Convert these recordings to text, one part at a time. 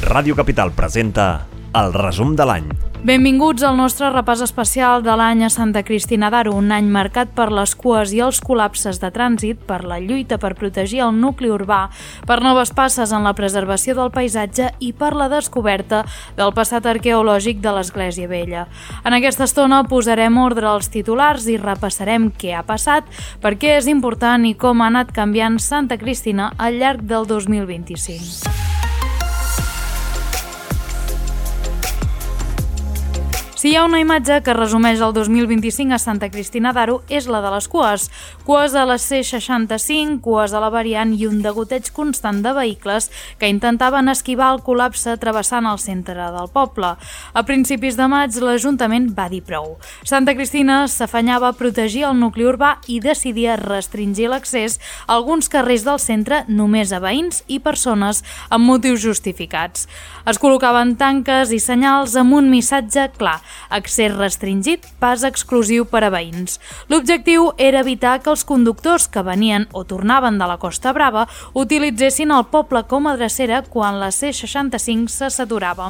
Ràdio Capital presenta el resum de l'any. Benvinguts al nostre repàs especial de l'any a Santa Cristina d'Aro, un any marcat per les cues i els col·lapses de trànsit, per la lluita per protegir el nucli urbà, per noves passes en la preservació del paisatge i per la descoberta del passat arqueològic de l'Església Vella. En aquesta estona posarem ordre als titulars i repassarem què ha passat, per què és important i com ha anat canviant Santa Cristina al llarg del 2025. Si hi ha una imatge que resumeix el 2025 a Santa Cristina d'Aro és la de les cues. Cues a la C65, cues a la variant i un degoteig constant de vehicles que intentaven esquivar el col·lapse travessant el centre del poble. A principis de maig l'Ajuntament va dir prou. Santa Cristina s'afanyava a protegir el nucli urbà i decidia restringir l'accés a alguns carrers del centre només a veïns i persones amb motius justificats. Es col·locaven tanques i senyals amb un missatge clar: accés restringit, pas exclusiu per a veïns. L'objectiu era evitar que els conductors que venien o tornaven de la Costa Brava utilitzessin el poble com a drecera quan la C65 se saturava.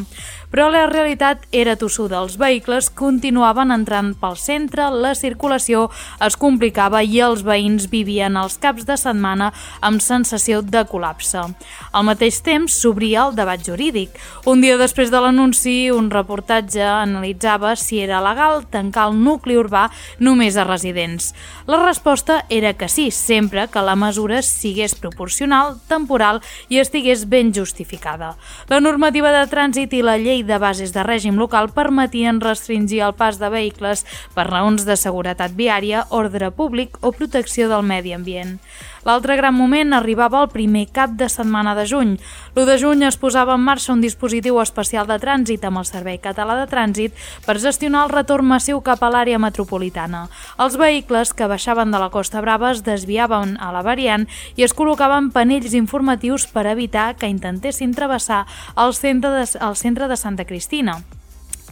Però la realitat era tossuda. Els vehicles continuaven entrant pel centre, la circulació es complicava i els veïns vivien els caps de setmana amb sensació de col·lapse. Al mateix temps s'obria el debat jurídic. Un dia després de l'anunci, un reportatge analitzava si era legal tancar el nucli urbà només a residents. La resposta era que sí, sempre que la mesura sigués proporcional, temporal i estigués ben justificada. La normativa de trànsit i la llei de bases de règim local permetien restringir el pas de vehicles per raons de seguretat viària, ordre públic o protecció del medi ambient. L'altre gran moment arribava el primer cap de setmana de juny. L'1 de juny es posava en marxa un dispositiu especial de trànsit amb el Servei Català de Trànsit per gestionar el retorn massiu cap a l'àrea metropolitana. Els vehicles que baixaven de la Costa Brava es desviaven a la variant i es col·locaven panells informatius per evitar que intentessin travessar el centre de Santa Cristina.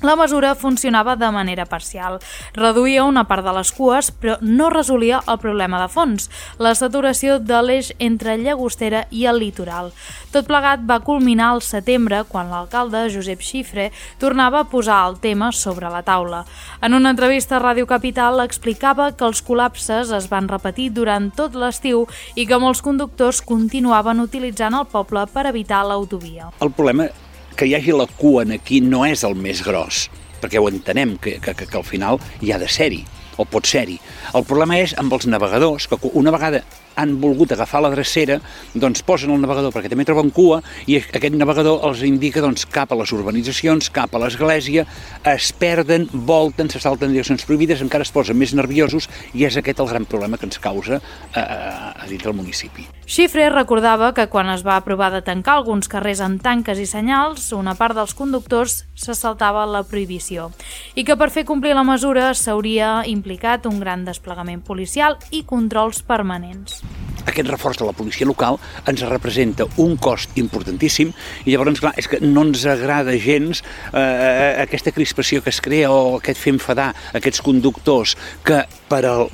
La mesura funcionava de manera parcial. Reduïa una part de les cues, però no resolia el problema de fons, la saturació de l'eix entre Llagostera i el litoral. Tot plegat va culminar al setembre, quan l'alcalde Josep Xifre tornava a posar el tema sobre la taula. En una entrevista a Ràdio Capital explicava que els col·lapses es van repetir durant tot l'estiu i que molts conductors continuaven utilitzant el poble per evitar l'autovia. El problema que hi hagi la cua aquí no és el més gros, perquè ho entenem, que al final hi ha de ser-hi, o pot ser-hi. El problema és amb els navegadors, que una vegada han volgut agafar la drecera, doncs posen el navegador perquè també troben cua i aquest navegador els indica cap a les urbanitzacions, cap a l'església, es perden, volten, se salten direccions prohibides, encara es posen més nerviosos i és aquest el gran problema que ens causa a dins del municipi. Xifre recordava que quan es va aprovar de tancar alguns carrers amb tanques i senyals, una part dels conductors se saltava la prohibició i que per fer complir la mesura s'hauria implicat un gran desplegament policial i controls permanents. Aquest reforç de la policia local ens representa un cost importantíssim i llavors, clar, és que no ens agrada gens aquesta crispació que es crea o aquest fer enfadar aquests conductors que per al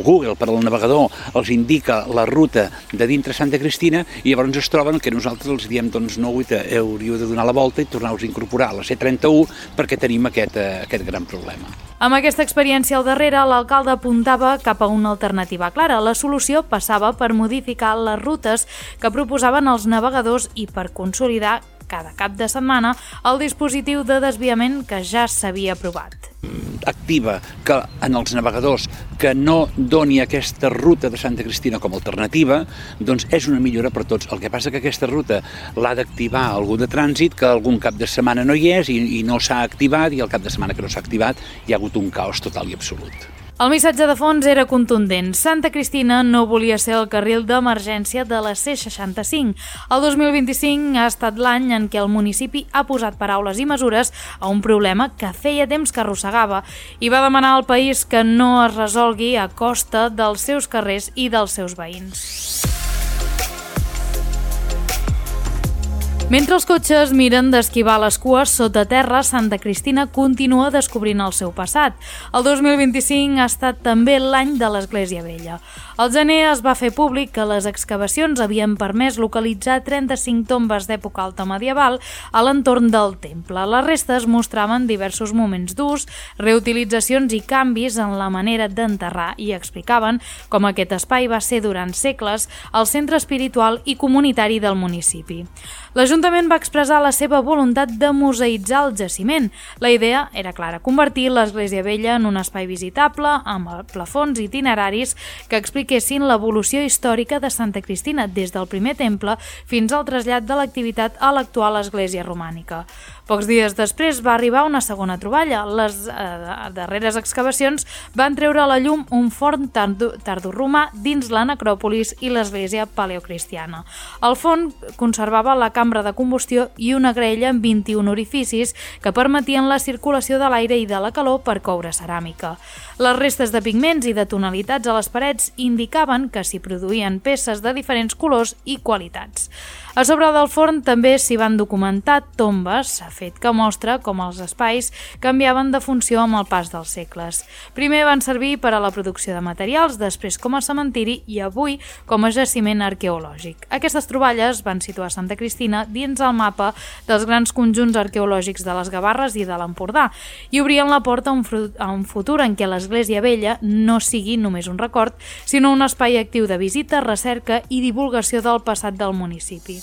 Google, per al navegador, els indica la ruta de dintre Santa Cristina i llavors es troben que nosaltres els diem no, hauríeu de donar la volta i tornar-vos a incorporar a la C31 perquè tenim aquest gran problema. Amb aquesta experiència al darrere, l'alcalde apuntava cap a una alternativa clara. La solució passava per modificar les rutes que proposaven els navegadors i per consolidar cada cap de setmana el dispositiu de desviament que ja s'havia aprovat. Activa que en els navegadors que no doni aquesta ruta de Santa Cristina com a alternativa, doncs és una millora per tots. El que passa que aquesta ruta l'ha d'activar algú de trànsit, que algun cap de setmana no hi és i no s'ha activat, i el cap de setmana que no s'ha activat hi ha hagut un caos total i absolut. El missatge de fons era contundent. Santa Cristina no volia ser el carril d'emergència de la C65. El 2025 ha estat l'any en què el municipi ha posat paraules i mesures a un problema que feia temps que arrossegava i va demanar al país que no es resolgui a costa dels seus carrers i dels seus veïns. Mentre els cotxes miren d'esquivar les cues sota terra, Santa Cristina continua descobrint el seu passat. El 2025 ha estat també l'any de l'Església Vella. Al gener es va fer públic que les excavacions havien permès localitzar 35 tombes d'època alta medieval a l'entorn del temple. Les restes mostraven diversos moments d'ús, reutilitzacions i canvis en la manera d'enterrar i explicaven com aquest espai va ser durant segles el centre espiritual i comunitari del municipi. L'Ajuntament va expressar la seva voluntat de museïtzar el jaciment. La idea era clara, convertir l'Església Vella en un espai visitable amb plafons itineraris que expliquessin l'evolució històrica de Santa Cristina des del primer temple fins al trasllat de l'activitat a l'actual església romànica. Pocs dies després va arribar una segona troballa. Les darreres excavacions van treure a la llum un forn tardoromà dins la necròpolis i l'església paleocristiana. El forn conservava la cambra de combustió i una graella amb 21 orificis que permetien la circulació de l'aire i de la calor per coure ceràmica. Les restes de pigments i de tonalitats a les parets indicaven que s'hi produïen peces de diferents colors i qualitats. A sobre del forn també s'hi van documentar tombes, fet que mostra com els espais canviaven de funció amb el pas dels segles. Primer van servir per a la producció de materials, després com a cementiri i avui com a jaciment arqueològic. Aquestes troballes van situar Santa Cristina dins el mapa dels grans conjunts arqueològics de les Gavarres i de l'Empordà i obrien la porta a un futur en què l'Església Vella no sigui només un record, sinó un espai actiu de visita, recerca i divulgació del passat del municipi.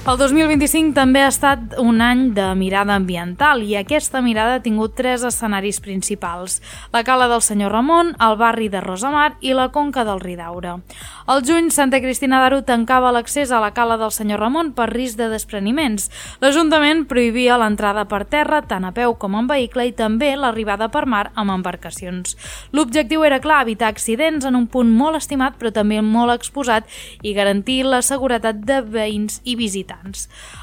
El 2025 també ha estat un any de mirada ambiental i aquesta mirada ha tingut 3 escenaris principals: la Cala del Senyor Ramon, el barri de Rosamar i la Conca del Ridaura. Al juny, Santa Cristina d'Aro tancava l'accés a la Cala del Senyor Ramon per risc de despreniments. L'Ajuntament prohibia l'entrada per terra tant a peu com en vehicle i també l'arribada per mar amb embarcacions. L'objectiu era clar, evitar accidents en un punt molt estimat però també molt exposat i garantir la seguretat de veïns i visitants.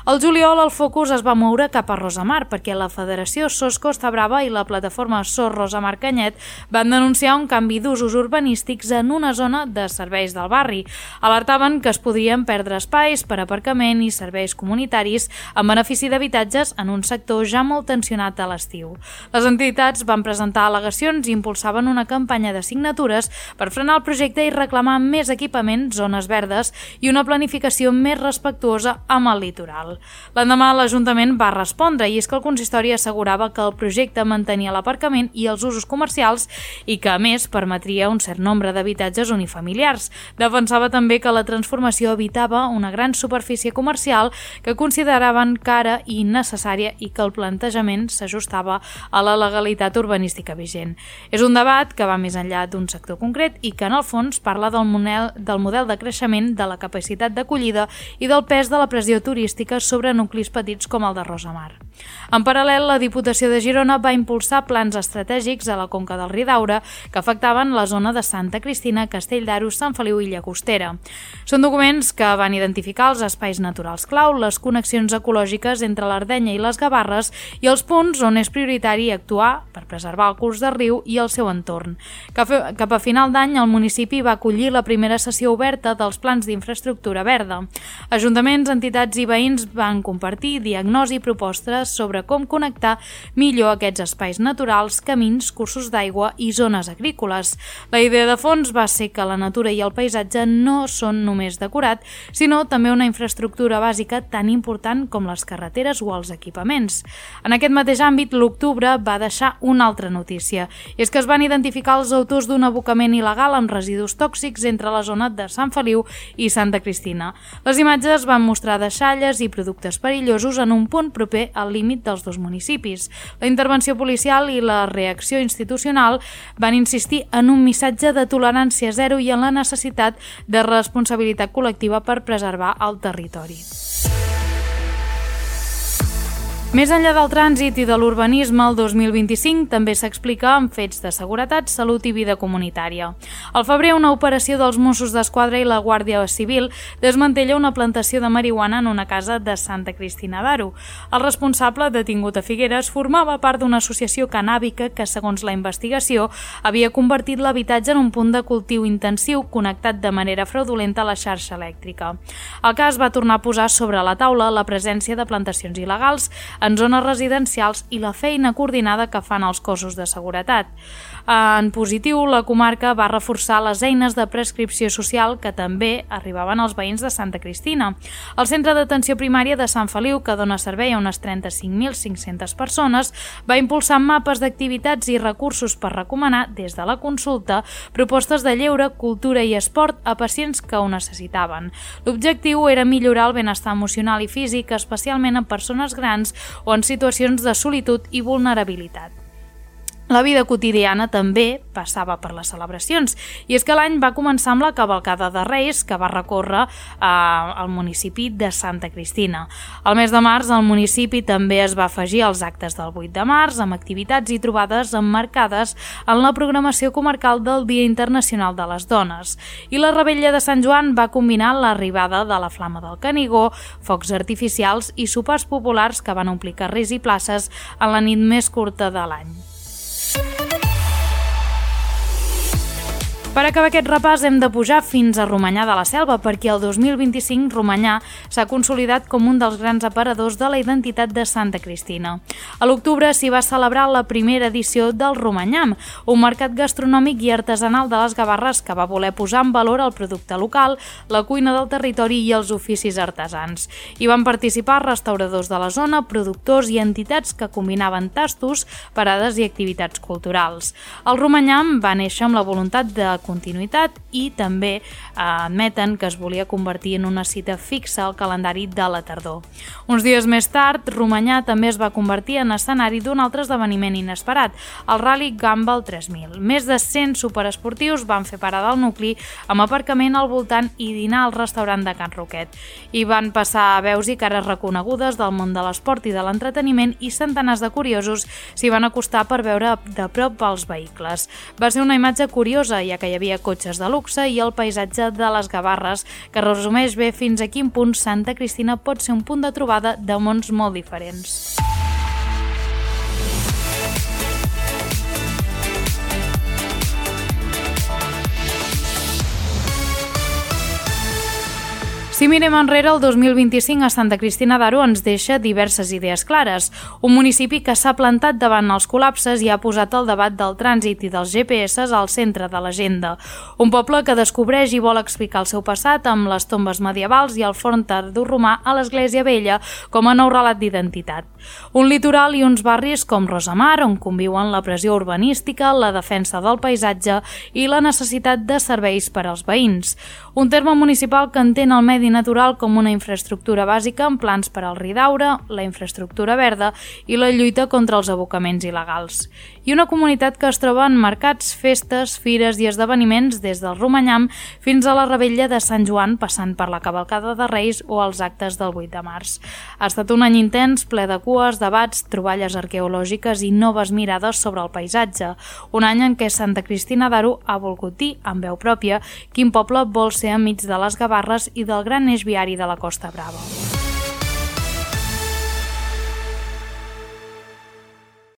Al juliol el focus es va moure cap a Rosamar perquè la Federació SOS Costa Brava i la plataforma SOS Rosamar Canyet van denunciar un canvi d'usos urbanístics en una zona de serveis del barri. Alertaven que es podrien perdre espais per aparcament i serveis comunitaris en benefici d'habitatges en un sector ja molt tensionat a l'estiu. Les entitats van presentar al·legacions i impulsaven una campanya de signatures per frenar el projecte i reclamar més equipament, zones verdes i una planificació més respectuosa amb el litoral. L'endemà l'Ajuntament va respondre i és que el consistori assegurava que el projecte mantenia l'aparcament i els usos comercials i que a més permetria un cert nombre d'habitatges unifamiliars. Defensava també que la transformació evitava una gran superfície comercial que consideraven cara i innecessària i que el plantejament s'ajustava a la legalitat urbanística vigent. És un debat que va més enllà d'un sector concret i que en el fons parla del model de creixement, de la capacitat d'acollida i del pes de la pressió turística sobre nuclis petits com el de Rosamar. En paral·lel, la Diputació de Girona va impulsar plans estratègics a la Conca del Ridaura que afectaven la zona de Santa Cristina, Castell d'Aro, Sant Feliu i Llagostera. Són documents que van identificar els espais naturals clau, les connexions ecològiques entre l'Ardenya i les Gavarres i els punts on és prioritari actuar per preservar el curs del riu i el seu entorn. Cap a final d'any, el municipi va acollir la primera sessió oberta dels plans d'infraestructura verda. Ajuntaments, entitats i veïns van compartir diagnosi i propostes sobre com connectar millor aquests espais naturals, camins, cursos d'aigua i zones agrícoles. La idea de fons va ser que la natura i el paisatge no són només decorat, sinó també una infraestructura bàsica tan important com les carreteres o els equipaments. En aquest mateix àmbit, l'octubre va deixar una altra notícia, i és que es van identificar els autors d'un abocament il·legal amb residus tòxics entre la zona de Sant Feliu i Santa Cristina. Les imatges van mostrar deixalles i productes perillosos en un punt proper al límit dels dos municipis. La intervenció policial i la reacció institucional van insistir en un missatge de tolerància zero i en la necessitat de responsabilitat col·lectiva per preservar el territori. Més enllà del trànsit i de l'urbanisme, el 2025 també s'explica amb fets de seguretat, salut i vida comunitària. Al febrer, una operació dels Mossos d'Esquadra i la Guàrdia Civil desmantella una plantació de marihuana en una casa de Santa Cristina d'Aro. El responsable, detingut a Figueres, formava part d'una associació cannàbica que, segons la investigació, havia convertit l'habitatge en un punt de cultiu intensiu connectat de manera fraudulenta a la xarxa elèctrica. El cas va tornar a posar sobre la taula la presència de plantacions il·legals en zones residencials i la feina coordinada que fan els cossos de seguretat. En positiu, la comarca va reforçar les eines de prescripció social que també arribaven als veïns de Santa Cristina. El Centre d'Atenció Primària de Sant Feliu, que dona servei a unes 35.500 persones, va impulsar mapes d'activitats i recursos per recomanar, des de la consulta, propostes de lleure, cultura i esport a pacients que ho necessitaven. L'objectiu era millorar el benestar emocional i físic, especialment en persones grans o en situacions de solitud i vulnerabilitat. La vida quotidiana també passava per les celebracions, i és que l'any va començar amb la cavalcada de Reis, que va recórrer al municipi de Santa Cristina. Al mes de març, el municipi també es va afegir als actes del 8 de març, amb activitats i trobades emmarcades en la programació comarcal del Dia Internacional de les Dones. I la Revetlla de Sant Joan va combinar l'arribada de la Flama del Canigó, focs artificials i sopars populars que van omplir carrers i places en la nit més curta de l'any. Per acabar aquest repàs hem de pujar fins a Romanyà de la Selva, perquè el 2025 Romanyà s'ha consolidat com un dels grans aparadors de la identitat de Santa Cristina. A l'octubre s'hi va celebrar la primera edició del Romanyam, un mercat gastronòmic i artesanal de les Gavarres que va voler posar en valor el producte local, la cuina del territori i els oficis artesans. Hi van participar restauradors de la zona, productors i entitats que combinaven tastos, parades i activitats culturals. El Romanyam va néixer amb la voluntat de continuïtat i també admeten que es volia convertir en una cita fixa al calendari de la tardor. Uns dies més tard, Romanyà també es va convertir en escenari d'un altre esdeveniment inesperat, el Rally Gumball 3000. Més de 100 superesportius van fer parada al nucli amb aparcament al voltant i dinar al restaurant de Can Roquet. Hi van passar veus i cares reconegudes del món de l'esport i de l'entreteniment i centenars de curiosos s'hi van acostar per veure de prop els vehicles. Va ser una imatge curiosa, ja que hi havia cotxes de luxe i el paisatge de les Gavarres, que resumeix bé fins a quin punt Santa Cristina pot ser un punt de trobada de mons molt diferents. Si mirem enrere, el 2025 a Santa Cristina d'Aro ens deixa diverses idees clares. Un municipi que s'ha plantat davant els col·lapses i ha posat el debat del trànsit i dels GPS al centre de l'agenda. Un poble que descobreix i vol explicar el seu passat amb les tombes medievals i el forn tardoromà a l'Església Vella com a nou relat d'identitat. Un litoral i uns barris com Rosamar, on conviuen la pressió urbanística, la defensa del paisatge i la necessitat de serveis per als veïns. Un terme municipal que entén el medi natural com una infraestructura bàsica amb plans per al Ridaura, la infraestructura verda i la lluita contra els abocaments il·legals. I una comunitat que es troba en mercats, festes, fires i esdeveniments des del Romanyam fins a la Revetlla de Sant Joan, passant per la cavalcada de Reis o els actes del 8 de març. Ha estat un any intens, ple de cues, debats, troballes arqueològiques i noves mirades sobre el paisatge. Un any en què Santa Cristina d'Aro ha volgut dir, amb veu pròpia, quin poble vol ser enmig de les Gavarres i del gran eix viari de la Costa Brava.